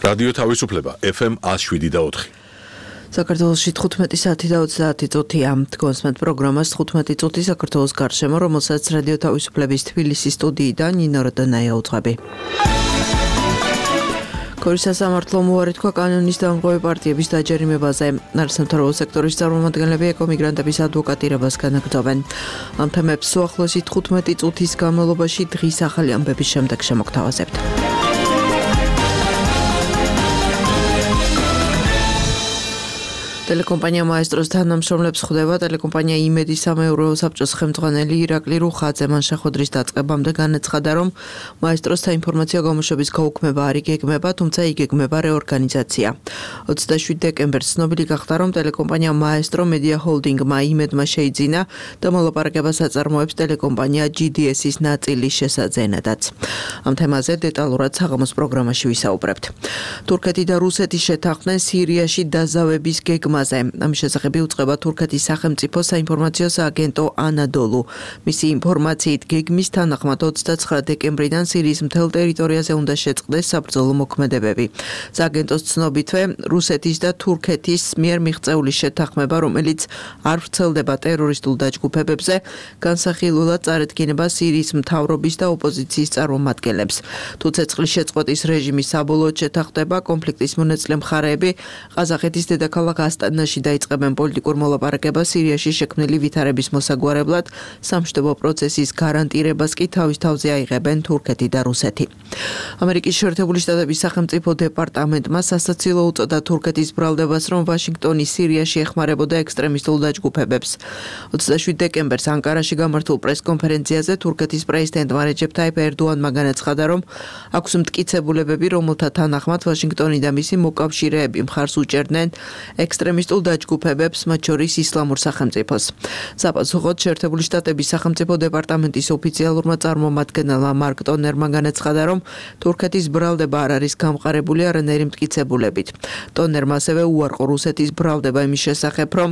რადიო თავისუფლება FM 107.4. საქართველოში 15 საათი და 30 წუთია. გონსმენთ პროგრამას 15 წუთი საქართველოს გარშემო, რომელსაც რადიო თავისუფლების თბილისის სტუდიიდან ნინო როდანაია უძღვები. ქორის სასამართლო მოუარი თქვა კანონის დამღები პარტიების დაჯერიმებაზე. არასამთავრობო სექტორის წარმომადგენლები ეკომიგრანტების ადვოკატირებას განაგრძობენ. ამ თემებს უახლოესი 15 წუთის განმავლობაში დღის ახალი ამბების შემდეგ შემოგთავაზებთ. ტელეკომპანია მაესტროს თანამშრომლებს ხვდება ტელეკომპანია იმედის სამეურვეო საბჭოს ხელმძღვანელი ირაკლი რუხაძე. მან შეხვედრის დაწყებამდე განაცხადა, რომ მაესტროს საინფორმაციო გამოშვების გაუქმება არ იგეგმება, თუმცა იგეგმება რეორგანიზაცია. 27 დეკემბერს ცნობილი გახდა, რომ ტელეკომპანია მაესტრო მედია ჰოლდინგმა იმედმა შეიძინა და მოლაპარაკებას აწარმოებს ტელეკომპანია GDS-ის ნაწილის შესაძენადაც. ამ თემაზე დეტალურად საღამოს პროგრამაში ვისაუბრებთ. თურქეთი და რუსეთი შეთანხმდნენ სირიაში დაზავების გეგმაზე. ამის შესახებ უწყება თურქეთის სახელმწიფო საინფორმაციო სააგენტო ანადოლუ. მისი ინფორმაციით გეგმის თანახმად 29 დეკემბრიდან სირიის მთელ ტერიტორიაზე უნდა შეწყდეს საბრძოლო მოქმედებები. სააგენტოს ცნობითვე რუსეთის და თურქეთის მიერ მიღწეული შეთანხმება, რომელიც არ ვრცელდება ტერორისტულ დაჯგუფებებზე, განსახილველად წარედგინება სირიის მთავრობის და ოპოზიციის წარმომადგენლებს. თუ ცეცხლის შეწყვეტის რეჟიმი საბოლოოდ შეთანხმდება, კონფლიქტის მონაწილე მხარეები ყაზახეთის დედაქალაქ ასტანაში დაიწყებენ პოლიტიკურ მოლაპარაკებას სირიაში შექმნილი ვითარების მოსაგვარებლად, სამშვიდობო პროცესის გარანტირებას კი თავის თავზე აიღებენ თურქეთი და რუსეთი. ამერიკის შეერთებული შტატების სახელმწიფო დეპარტამენტმა სასაცილო უწოდა თურქეთის ბრალდებას, რომ ვაშინგტონი სირიაში ეხმარებოდა ექსტრემისტულ დაჯგუფებებს. 27 დეკემბერს ანკარაში გამართულ პრესკონფერენციაზე თურქეთის პრეზიდენტმა რეჯეფ ტაიპ ერდოანმა განაცხადა, რომ აქვს მტკიცებულებები, რომელთა თანახმად ვაშინგტონი და მისი მოკავშირეები მხარს უჭერდნენ ექსტრემისტულ დაჯგუფებებს, მათ შორის ისლამურ სახელმწიფოს. საპასუხოდ შეერთებული შტატების სახელმწიფო დეპარტამენტის ოფიციალურმა წარმომადგენელმა მარკ ტონერმა განაცხადა, რომ თურქეთის ბრალდება არ არის გამყარებული არანაირი მტკიცებულებით. ტონერმა ასევე უარყო რუსეთის ბრალდება იმის შესახებ, რომ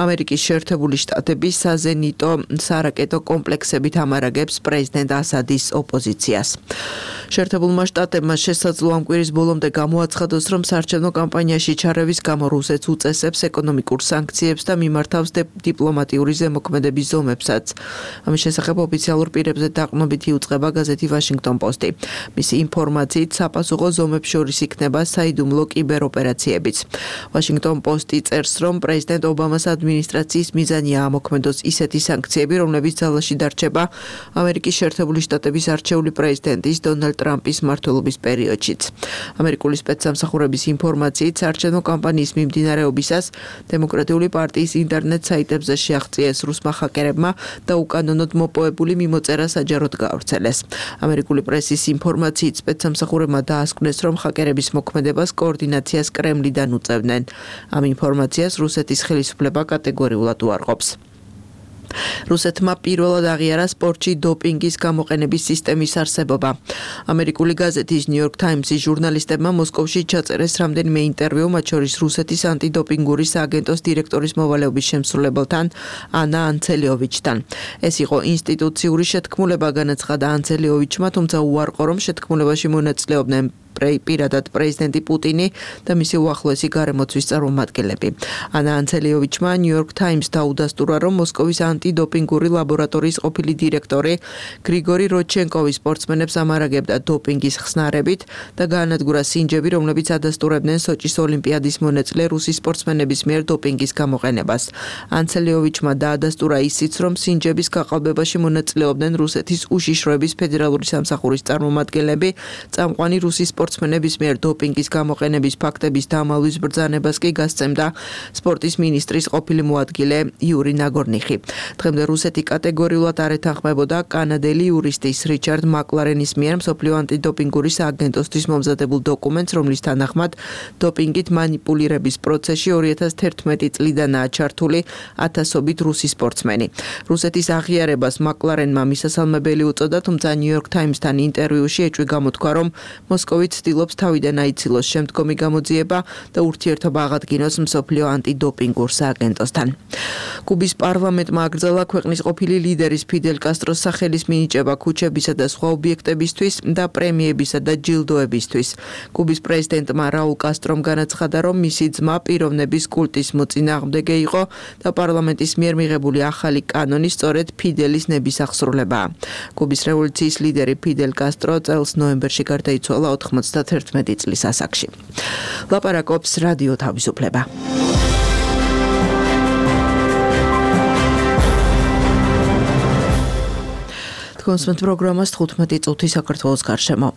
ამერიკის შეერთებული შტატები საზენიტო სარაკეტო კომპლექსებით ამარაგებს პრეზიდენტ ასადის ოპოზიციას. შეერთებულმა შტატებმა შესაძლოა ამ კვირის ბოლომდე გამოაცხადოს, რომ საარჩევნო კამპანიაში ჩარევის გამო რუსეთს უწესებს ეკონომიკურ სანქციებს და მიმართავს დიპლომატიური ზემოქმედების ზომებსაც. ამის შესახებ ოფიციალურ პირებზე დაყრდნობით იუწყება გაზეთი ვაშინგტონ პოსტი. მისი ინფორმაციით საპასუხო ზომებს შორის იქნება საიდუმლო კიბეროპერაციებიც. ვაშინგტონ პოსტი წერს, რომ პრეზიდენტ ობამას ადმინისტრაციის მიზანია ამოქმედოს ისეთი სანქციები, რომლებიც ძალაში დარჩება ამერიკის შეერთებული შტატების არჩეული პრეზიდენტის დონალდ ტრამპის მმართველობის პერიოდშიც. ამერიკული სპეცსამსახურების ინფორმაციით საარჩევნო კამპანიის მიმდინარეობისას დემოკრატიული პარტიის ინტერნეტ საიტებზე შეაღწიეს რუსმა ჰაკერებმა და უკანონოდ მოპოვებული მიმოწერა საჯაროდ გაავრცელეს. ამერიკული პრესის ინფორმაციით სპეცსამსახურებმა დაასკვნეს, რომ ჰაკერების მოქმედებას კოორდინაციას კრემლიდან უწევდნენ. ამ ინფორმაციას რუსეთის ხელისუფლება კატეგორიულად უარყოფს. რუსეთმა პირველად აღიარა სპორტში დოპინგის გამოყენების სისტემის არსებობა. ამერიკული გაზეთის New York Times-ის ჟურნალისტებმა მოსკოვში ჩაწერეს რამდენიმე ინტერვიუ, მათ შორის რუსეთის ანტიდოპინგური სააგენტოს დირექტორის მოვალეობის შემსრულებელთან ანა ანცელიოვიჩთან. ეს იყო ინსტიტუციური შეთქმულება, განაცხადა ანცელიოვიჩმა, თუმცა უარყო, რომ შეთქმულებაში მონაწილეობდნენ პირადად პრეზიდენტი პუტინი და მისი უახლოესი გარემოცვის წარმომადგენლები. ანა ანცელიოვიჩმა New York Times დაუდასტურა, რომ მოსკოვის ანტიდოპინგური ლაბორატორიის ყოფილი დირექტორი გრიგორი როდჩენკოვი სპორტსმენებს ამარაგებდა დოპინგის ხსნარებით და გაანადგურა სინჯები, რომლებიც ადასტურებდნენ სოჭის ოლიმპიადის მონაწილე რუსი სპორტსმენების მიერ დოპინგის გამოყენებას. ანცელიოვიჩმა დაადასტურა ისიც, რომ სინჯების გაყალბებაში მონაწილეობდნენ რუსეთის უშიშროების ფედერალური სამსახურის წარმომადგენლები, წამყვანი რუსი სპორტსმენების მიერ დოპინგის გამოყენების ფაქტების დამალვის ბრძანებას კი გასცემდა სპორტის მინისტრის ყოფილი მოადგილე იური ნაგორნიხი. დღემდე რუსეთი კატეგორიულად არ ეთანხმებოდა კანადელი იურისტის რიჩარდ მაკლარენის მიერ მსოფლიო ანტიდოპინგური სააგენტოსთვის მომზადებულ დოკუმენტს, რომლის თანახმად დოპინგით მანიპულირების პროცესში 2011 წლიდანაა ჩართული ათასობით რუსი სპორტსმენი. რუსეთის აღიარებას მაკლარენმა მისასალმებელი უწოდა, თუმცა New York Times-თან ინტერვიუში ეჭვი გამოთქვა, რომ მოსკოვით ცდილობს თავიდან აიცილოს შემდგომი გამოძიება და ურთიერთობა აღადგინოს მსოფლიო ანტიდოპინგურ სააგენტოსთან. კუბის პარლამენტმა აკრძალა ქვეყნის ყოფილი ლიდერის ფიდელ კასტროს სახელის მინიჭება ქუჩებისა და სხვა ობიექტებისთვის და პრემიებისა და ჯილდოებისთვის. კუბის პრეზიდენტმა რაულ კასტრომ განაცხადა, რომ მისი ძმა პიროვნების კულტის მოწინააღმდეგე იყო და პარლამენტის მიერ მიღებული ახალი კანონი სწორედ ფიდელის ნების აღსრულებაა. კუბის რევოლუციის ლიდერი ფიდელ კასტრო წელს ნოემბერში გარდაიცვალა 91 წლის ასაკში. ლაპარაკობს რადიო თავისუფლება. კონსმეთ პროგრამას 15 წუთი საქართველოს გარშემო.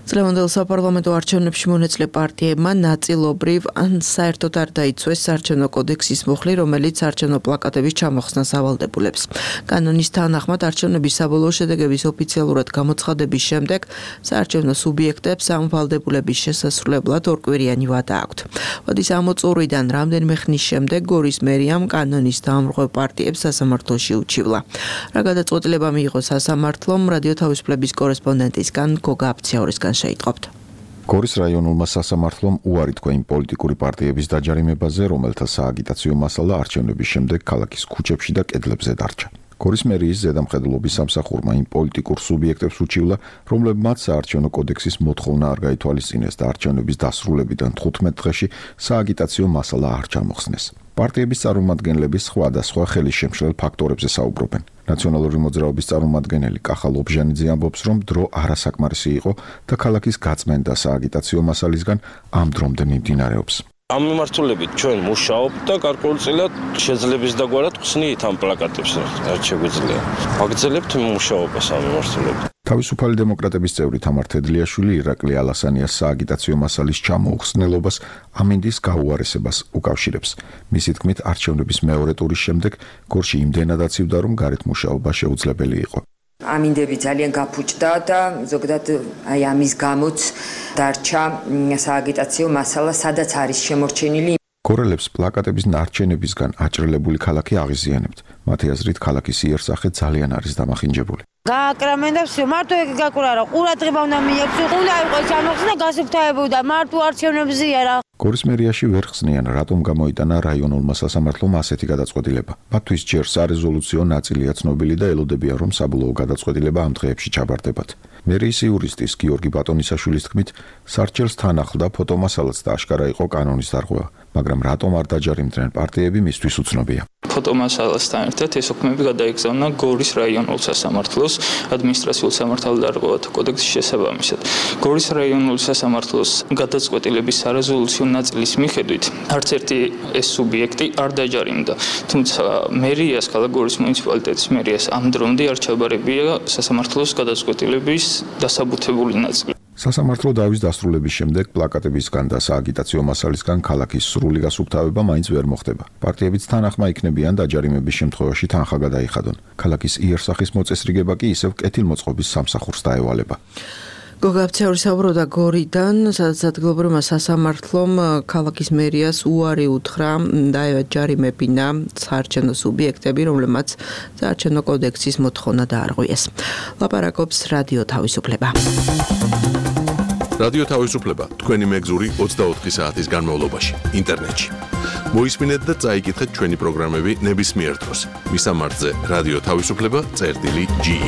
წლევანდელ საპარლამენტო არჩევნებში მონაწილე პარტიებმა ნაწილობრივ ან საერთოდ არ დაიცვეს საარჩევნო კოდექსის მუხლი, რომელიც საარჩევნო პლაკატების ჩამოხსნას ავალდებულებს. კანონის თანახმად არჩევნების საბოლოო შედეგების ოფიციალურად გამოცხადების შემდეგ საარჩევნო სუბიექტებს ამ ვალდებულების შესასრულებლად ორკვირიანი ვადა აქვთ. ვადის ამოწურვიდან რამდენიმე ხნის შემდეგ გორის მერიამ კანონის დაამხმარებელ პარტიებს სასამართლოში უჩივლა. რა გადაწყვეტილება მიიღო სასამართლომ, რადიო თავისუფლების კორესპონდენტისგან გოგა აფციაურისგან შეიტყობთ. გორის რაიონულმა სასამართლომ უარი თქვა იმ პოლიტიკური პარტიების დაჯარიმებაზე, რომელთა სააგიტაციო მასალა არჩევნების შემდეგ ქალაქის ქუჩებში და კედლებზე დარჩა. გორის მერიის ზედამხედველობის სამსახურმა იმ პოლიტიკურ სუბიექტებს უჩივლა, რომლებმაც საარჩევნო კოდექსის მოთხოვნა არ გაითვალისწინეს და არჩევნების დასრულებიდან 15 დღეში სააგიტაციო მასალა არ ჩამოხსნეს. პარტიების წარმომადგენლები სხვადასხვა ხელისშემშლელ ფაქტორებზე საუბრობენ. ნაციონალური მოძრაობის წარმომადგენელი კახა ლობჟანიძე ამბობს, რომ დრო არასაკმარისი იყო და ქალაქის გაწმენდა სააგიტაციო მასალისგან ამ დრომდე მიმდინარეობს. ამ მიმართულებით ჩვენ მუშაობთ და გარკვეულწილად შეძლებს დაგვარად ხსნით ამ პლაკატებს, რაც შეგვიძლია. ვაგრძელებთ მუშაობას ამ მიმართულებით. თავისუფალი დემოკრატების წევრი თამარ თედლიაშვილი ირაკლი ალასანიას სააგიტაციო მასალის ჩამოუხსნელობას ამინდის გაუარესებას უკავშირებს. მისი თქმით, არჩევნების მეორე ტურის შემდეგ გორში იმდენად აცივდა, რომ გარეთ მუშაობა შეუძლებელი იყო. ამინდები ძალიან გაფუჭდა და ზოგადად აი ამის გამოც დარჩა სააგიტაციო მასალა, სადაც არის შემორჩენილი. გორელებს პლაკატების ნარჩენებისგან აჭრელებული ქალაქი აღიზიანებთ. მათი აზრით, ქალაქის იერსახე ძალიან არის დამახინჯებული. გააკრამენ და всё, მარტო ეგ გაკურარა, ყურადღება უნდა მიექცო, უნდა იყოს ამოხსნა გასუფთავებოდა, მარტო არჩევნებზე არა. გორის მერიაში ვერ ხსნიან, რატომ გამოიტანა რაიონულმა სასამართლომ ასეთი გადაწყვეტილება. მათთვის ჯერ სარეზოლუციო ნაწილია ცნობილი და ელოდებიან, რომ საბოლოო გადაწყვეტილება ამ დღეებში ჩაბარდებათ. მერიის იურისტის გიორგი ბატონისაშვილის თქმით, სარჩელს თან ახლდა ფოტომასალაც და აშკარა იყო კანონის დარღვევა, მაგრამ რატომ არ დაჯარიმდნენ პარტიები მისთვის უცნობია. ფოტომასალასთან ერთად ეს ოქმები გადაიგზავნა გორის რაიონულ სასამართლოს ადმინისტრაციულ სამართალდარღვევათა კოდექსის შესაბამისად. გორის რაიონულ სასამართლოს გადაწყვეტილების სარეზოლუციო ნაწილის მიხედვით არც ერთი ეს სუბიექტი არ დაჯარიმდა. თუმცა მერიას, ქალაქ გორის მუნიციპალიტეტის მერიას ამ დრომდე არ ჩაბარებია სასამართლოს გადაწყვეტილების დასაბუთებული ნაწილი. სასამართლო დავის დასრულების შემდეგ პლაკატებისგან და სააგიტაციო მასალისგან ქალაქის სრული გასუფთავება მაინც ვერ მოხდება. პარტიებიც თან ახმა იქნებიან დაჯარიმების შემთხვევაში თანხა გადაიხადონ. ქალაქის იერსახის მოწესრიგება კი ისევ კეთილმოწყობის სამსახურს დაევალება. გოგა აფციაური საუბრობდა გორიდან, სადაც ადგილობრივმა სასამართლომ ქალაქის მერიას უარი უთხრა დაეჯარიმებინა საარჩევნო სუბიექტები, რომლებმაც საარჩევნო კოდექსის მოთხოვნა დაარღვიეს. ლაპარაკობს რადიო თავისუფლება. რადიო თავისუფლება თქვენი მეგზური 24 საათის განმავლობაში ინტერნეტში. მოისმინეთ და წაიკითხეთ ჩვენი პროგრამები ნებისმიერ დროს. მისამართზე რადიო თავისუფლება.ge.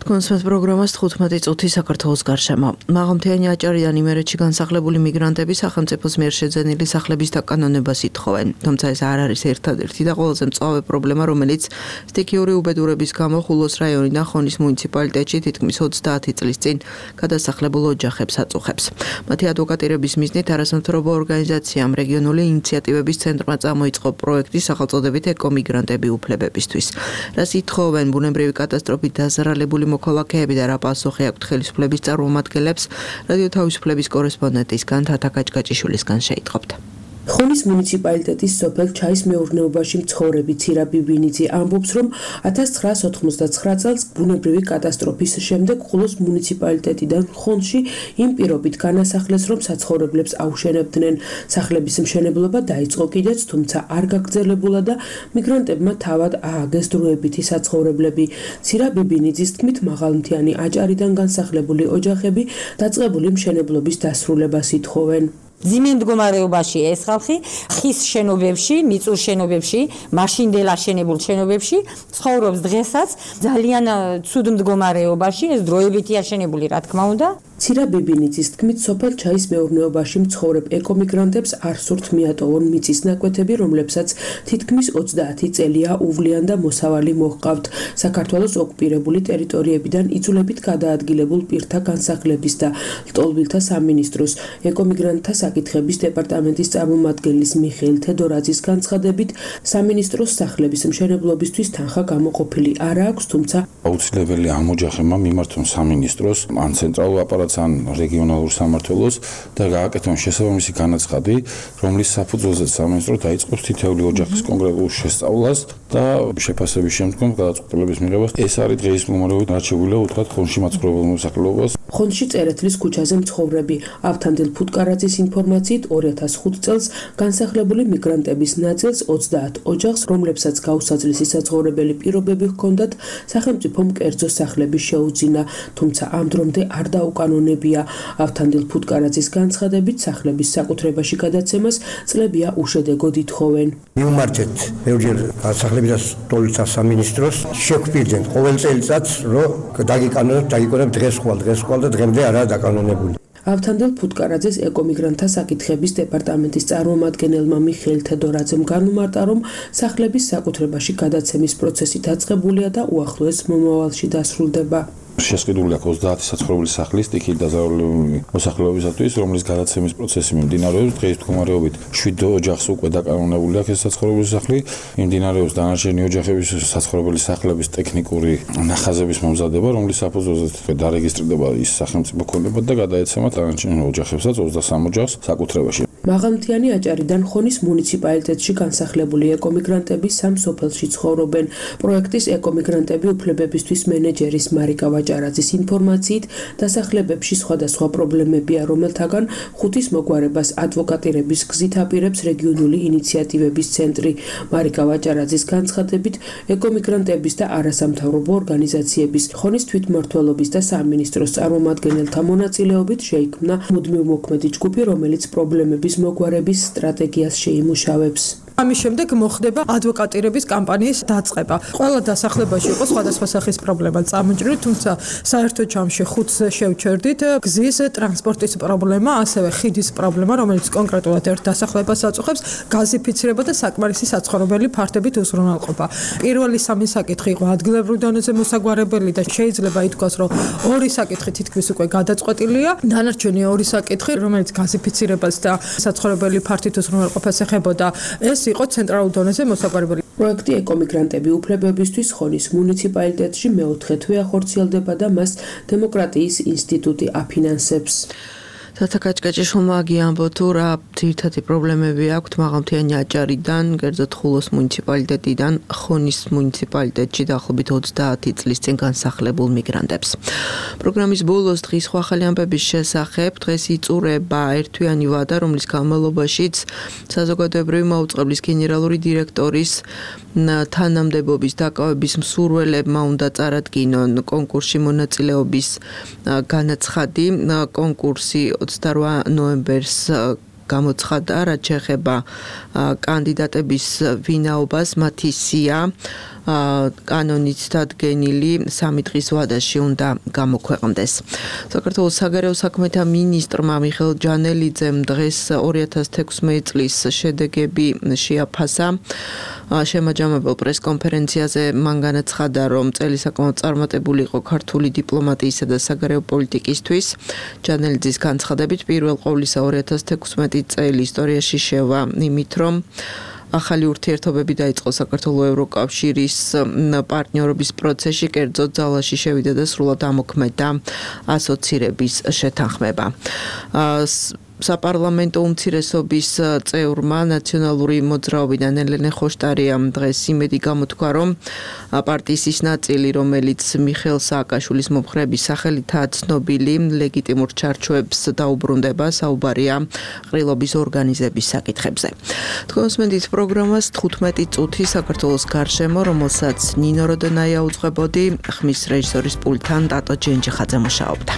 კონსმეთ პროგრამას 15 წუთი საქართველოს გარშემო. მაღალმთიანი აჭარიდან იმერეთში განსახლებული მიგრანტები სახელმწიფოს მიერ შეძენილი სახლების დაკანონებას ითხოვენ. თუმცა ეს არ არის ერთადერთი და ყველაზე მწვავე პრობლემა, რომელიც სტიქიური უბედურების გამო ხულოს რაიონიდან ხონის მუნიციპალიტეტში თითქმის 30 წლის წინ გადასახლებულ ოჯახებს აწუხებს. მათი ადვოკატირების მიზნით არასამთავრობო ორგანიზაციამ რეგიონული ინიციატივების ცენტრმა წამოიწყო პროექტი სახელწოდებით ეკომიგრანტები უფლებებისთვის. რას ითხოვენ ბუნებრივი კატასტროფით დაზარალებული მოქალაქეები და რა პასუხი აქვთ ხელისუფლების წარმომადგენლებს, რადიო თავისუფლების კორესპონდენტისგან თათა გაჭგაჭიშვილისგან შეიტყობთ. ხონის მუნიციპალიტეტის სოფელ ჩაის მეურნეობაში მცხოვრები ცირა ბიბინიძე ამბობს, რომ 1999 წელს ბუნებრივი კატასტროფის შემდეგ ხულოს მუნიციპალიტეტიდან ხონში იმ პირობით განასახლეს, რომ საცხოვრებლებს აუშენებდნენ. სახლების მშენებლობა დაიწყო კიდეც, თუმცა არ გაგრძელებულა და მიგრანტებმა თავად ააგეს დროებითი საცხოვრებლები. ცირა ბიბინიძის თქმით, მაღალმთიანი აჭარიდან განსახლებული ოჯახები დაწყებული მშენებლობის დასრულებას ითხოვენ. ძიმე მდგომარეობაში ეს ხალხი ხის შენობებში, მიწურ შენობებში, მაშინდელ აშენებულ შენობებში ცხოვრობს დღესაც ძალიან ცუდ მდგომარეობაში, ეს დროებითი აშენებული, რა თქმა უნდა. ცირა ბიბინიძის თქმით, სოფელ ჩაის მეურნეობაში მცხოვრებ ეკომიგრანტებს არ სურთ მიატოვონ მიწის ნაკვეთები, რომლებსაც თითქმის 30 წელია უვლიან და მოსავალი მოჰყავთ. საქართველოს ოკუპირებული ტერიტორიებიდან იძულებით გადაადგილებულ პირთა განსახლების და ლტოლვილთა სამინისტროს ეკომიგრანტთა საკითხების დეპარტამენტის წარმომადგენლის მიხეილ თედორაძის განცხადებით, სამინისტროს სახლების მშენებლობისთვის თანხა გამოყოფილი არ აქვს, თუმცა აუცილებელი ამ ოჯახებმა მიმართონ სამინისტროს ან ცენტრალურ აპარატს ან რეგიონალურ სამმართველოს და გააკეთონ შესაბამისი განაცხადი, რომლის საფუძველზე სამინისტრო დაიწყოს თითოეული ოჯახის კონკრეტულ შესწავლას და შეფასების შემდგომ გადაწყვეტილების მიღებას. ეს არის დღეის მდგომარეობით არჩეულია უთხრათ ხონში მაცხოვრებელ მოსახლეობას. ხონში წერეთლის ქუჩაზე მცხოვრები ავთანდილ ფუტკარაძის ინფორმაციით 2005 წელს განსახლებული მიგრანტების ნაწილს 30 ოჯახს, რომლებსაც გაუსაძლისი საცხოვრებელი პირობები ჰქონდათ, სახელმწიფომ კერძო სახლები შეუძინა, თუმცა ამ დრომდე არ დაუკანონებია. ავთანდილ ფუტკარაძის განცხადებით, სახლების საკუთრებაში გადაცემას წლებია უშედეგოდ ითხოვენ. მივმარჯეთ ბევრჯერ სახლების და ლტოლვილთა სამინისტროს, შეგვპირდნენ ყოველ წელიწადს, რომ დაგიკანონებთ დღეს ხვალ და დღემდე არაა დაკანონებული. ავთანდილ ფუტკარაძეს ეკომიგრანტთა საკითხების დეპარტამენტის წარმომადგენელმა მიხეილ თედორაძემ განუმარტა, რომ სახლების საკუთრებაში გადაცემის პროცესი დაწყებულია და უახლოეს მომავალში დასრულდება. შესყიდული აქვს 30 საცხოვრებელი სახლის სტიქიით დაზარალებული მოსახლეობისათვის, რომლის გადაცემის პროცესი მიმდინარეობს. დღეის მდგომარეობით 7 ოჯახს უკვე დაკანონებული აქვს ეს საცხოვრებელი სახლი. მიმდინარეობს დანარჩენი ოჯახების საცხოვრებელი სახლების ტექნიკური ნახაზების მომზადება, რომლის საფუძველზე დარეგისტრირდება ის სახელმწიფო ქონება და გადაეცემა დანარჩენ ოჯახებსაც 23 ოჯახს საკუთრებაში. მაღალმთიანი აჭარიდან ხონის მუნიციპალიტეტში განსახლებული ეკომიგრანტები სამ სოფელში ცხოვრობენ. პროექტის ეკომიგრანტები უფლებებისთვის მენეჯერის მარიკა ვაჭარაძის ინფორმაციით, დასახლებებში სხვადასხვა პრობლემებია, რომელთაგან 5-ის მოგვარებას ადვოკატირების გზით აპირებს რეგიონული ინიციატივების ცენტრი. მარიკა ვაჭარაძის განცხადებით, ეკომიგრანტების და არასამთავრობო ორგანიზაციების, ხონის თვითმმართველობის და სამინისტროს წარმომადგენელთა მონაწილეობით შეიქმნა მუდმივმოქმედი ჯგუფი, რომელიც პრობლემების მოგვარების სტრატეგიას შეიმუშავებს. ამის შემდეგ მოხდება ადვოკატირების კამპანიის დაწყება. ყველა დასახლებაში იყო სხვადასხვა სახის პრობლემა წამოჭრილი, თუმცა საერთო ჯამში 5-ს შევჩერდით გზის ტრანსპორტის პრობლემა, ასევე ხიდის პრობლემა, რომელიც კონკრეტულად ერთ დასახლებას აწუხებს, გაზიფიცირება და საკმარისი საცხოვრებელი ფართობით უზრუნველყოფა. პირველი სამი საკითხი იყო ადგილობრივ დონეზე მოსაგვარებელი და შეიძლება ითქვას, რომ ორი საკითხი თითქმის უკვე გადაწყვეტილია. დანარჩენი ორი საკითხი, რომელიც გაზიფიცირებას და საცხოვრებელი ფართით უზრუნველყოფას ეხებოდა, ეს იყო ცენტრალურ დონეზე მოსაგვარებელი. პროექტი ეკომიგრანტები უფლებებისთვის ხონის მუნიციპალიტეტში მეოთხე თვე ახორციელდება და მას დემოკრატიის ინსტიტუტი აფინანსებს. თათაკაჭკაჭიშვილმა გიამბო თუ რა ძირითადი პრობლემები აქვთ მაღალმთიანი აჭარიდან, კერძოდ ხულოს მუნიციპალიტეტიდან ხონის მუნიციპალიტეტში დაახლოებით 30 წლის წინ განსახლებულ მიგრანტებს. პროგრამის ბოლოს დღის სხვა ახალი ამბების შესახებ დღეს იწურება ერთთვიანი ვადა, რომლის განმავლობაშიც საზოგადოებრივი მაუწყებლის გენერალური დირექტორის თანამდებობის დაკავების მსურველებმა უნდა წარადგინონ კონკურსში მონაწილეობის განაცხადი. კონკურსი 28 ნოემბერს გამოცხადდა, რაც შეეხება კანდიდატების ვინაობას, მათი სია კანონით დადგენილი 3 დღის ვადაში უნდა გამოქვეყნდეს. საქართველოს საგარეო საქმეთა მინისტრმა მიხეილ ჯანელიძემ დღეს 2016 წლის შედეგები შეაფასა. შემაჯამებელ პრესკონფერენციაზე მან განაცხადა, რომ წელი საკმაოდ წარმატებული იყო ქართული დიპლომატიისა და საგარეო პოლიტიკისთვის. ჯანელიძის განცხადებით, პირველ ყოვლისა 2016 წელი ისტორიაში შევა იმით, რომ ახალი ურთიერთობები დაიწყო საქართველოს ევროკავშირის პარტნიორობის პროცესში, კერძოდ ძალაში შევიდა და სრულად ამოქმედა ასოცირების შეთანხმება. საპარლამენტო უმცირესობის წევრმა ნაციონალური მოძრაობიდან ელენე ხოშტარიამ დღეს იმედი გამოთქვა, რომ პარტიის ის ნაწილი, რომელიც მიხეილ სააკაშვილის მომხრეების სახელითაა ცნობილი, ლეგიტიმურ ჩარჩოებს დაუბრუნდება, საუბარია ყრილობის ორგანიზების საკითხებზე. თქვენს მენდით პროგრამას 15 წუთი საქართველოს გარშემო, რომელსაც ნინო როდენაია უძღვებოდი, ხმის რეჟისორის პულტთან ტატო ჯენჯიხაძე მუშაობდა.